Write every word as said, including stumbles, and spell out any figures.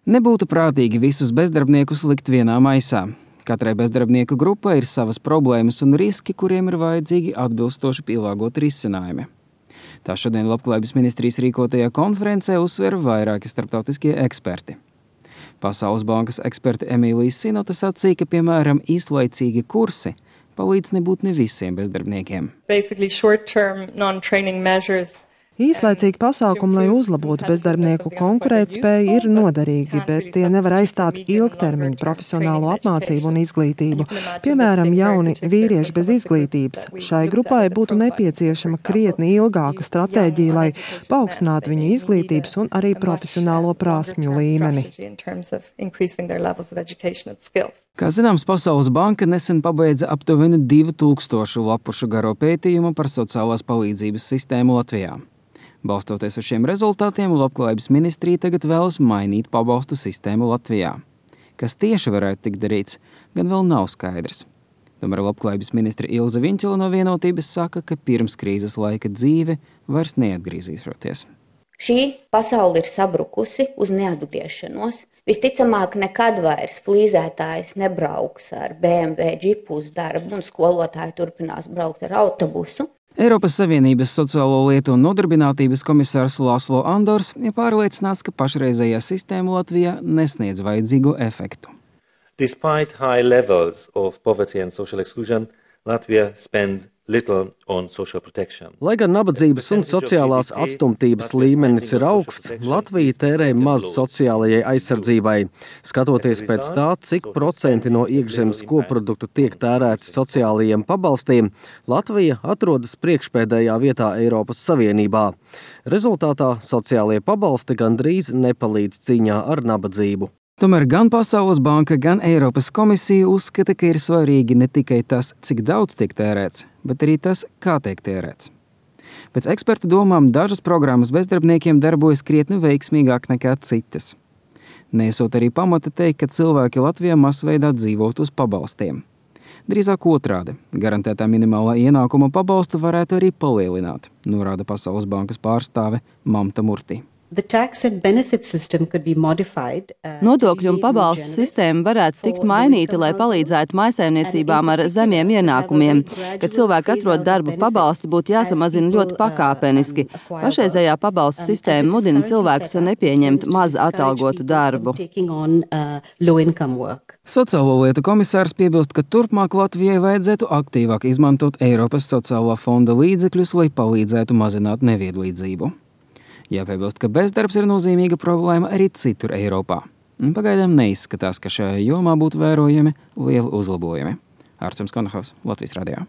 Nebūtu prātīgi visus bezdarbniekus likt vienā maisā. Katrai bezdarbnieku grupai ir savas problēmas un riski, kuriem ir vajadzīgi atbilstoši pielāgoti risinājumi. Tā šodien Labklājības ministrijas rīkotajā konferencē uzsver vairāki starptautiskie eksperti. Pasaules bankas eksperti Emīlija Sinota sacīja, ka, piemēram, īslaicīgi kursi palīdz nebūt ne visiem bezdarbniekiem. Īslaicīgi pasākumi, lai uzlabotu bezdarbnieku konkurētspēju, ir noderīgi, bet tie nevar aizstāt ilgtermiņu profesionālo apmācību un izglītību. Piemēram, jauni vīrieši bez izglītības. Šai grupai būtu nepieciešama krietni ilgāka stratēģija, lai paaugstinātu viņu izglītības un arī profesionālo prasmju līmeni. Kā zināms, Pasaules banka nesen pabeidza aptuveni divu tūkstošu lapušu garo pētījumu par sociālās palīdzības sistēmu Latvijā. Balstoties uz šiem rezultātiem, Labklājības ministrija tagad vēlas mainīt pabalstu sistēmu Latvijā. Kas tieši varētu tikt darīts, gan vēl nav skaidrs. Tomēr Labklājības ministre Ilze Viņķele no Vienotības saka, ka pirms krīzes laika dzīve vairs neatgriezīšoties. Šī pasaule ir sabrukusi uz neatgriešanos. Visticamāk, nekad vairs flīzētājs nebrauks ar B M W džipu uz darbu un skolotāji turpinās braukt ar autobusu. Eiropas Savienības sociālo lietu un nodarbinātības komisārs Laslo Andors ir pārliecināts, ka pašreizējā sistēma Latvijā nesniedz vajadzīgo efektu. Despite high levels of poverty and social exclusion, Latvia spends little on social protection. Lai gan nabadzības un sociālās atstumtības līmenis ir augsts, Latvija tērē maz sociālajai aizsardzībai. Skatoties pēc tā, cik procenti no iekšzemes koprodukta tiek tērēti sociālajiem pabalstiem, Latvija atrodas priekšpēdējā vietā Eiropas Savienībā. Rezultātā sociālie pabalsti gandrīz nepalīdz cīņā ar nabadzību. Tomēr gan Pasaules banka, gan Eiropas komisija uzskata, ka ir svarīgi ne tikai tas, cik daudz tiek tērēts, bet arī tas, kā tiek tērēts. Pēc eksperta domām dažas programmas bezdarbniekiem darbojas krietni veiksmīgāk nekā citas. Nesot arī pamata teikt, ka cilvēki Latvijā masveidā dzīvot uz pabalstiem. Drīzāk otrādi, garantētā minimālā ienākuma pabalstu varētu arī palielināt, norāda Pasaules bankas pārstāve Mamta Murti. Nodokļu un pabalstu sistēma varētu tikt mainīta, lai palīdzētu mājsaimniecībām ar zemiem ienākumiem. Kad cilvēki atrod darbu, pabalsti būtu jāsamazina ļoti pakāpeniski. Pašreizējā pabalstu sistēma mudina cilvēkus nepieņemt maz atalgotu darbu. Sociālo lietu komisārs piebilst, ka turpmāk Latvijai vajadzētu aktīvāk izmantot Eiropas sociālā fonda līdzekļus, lai palīdzētu mazināt nevienlīdzību. Jāpiebilst, ka bezdarbs ir nozīmīga problēma arī citur Eiropā. Pagaidām neizskatās, ka šajā jomā būtu vērojami lieli uzlabojumi. Ārcems Konahaus, Latvijas radio.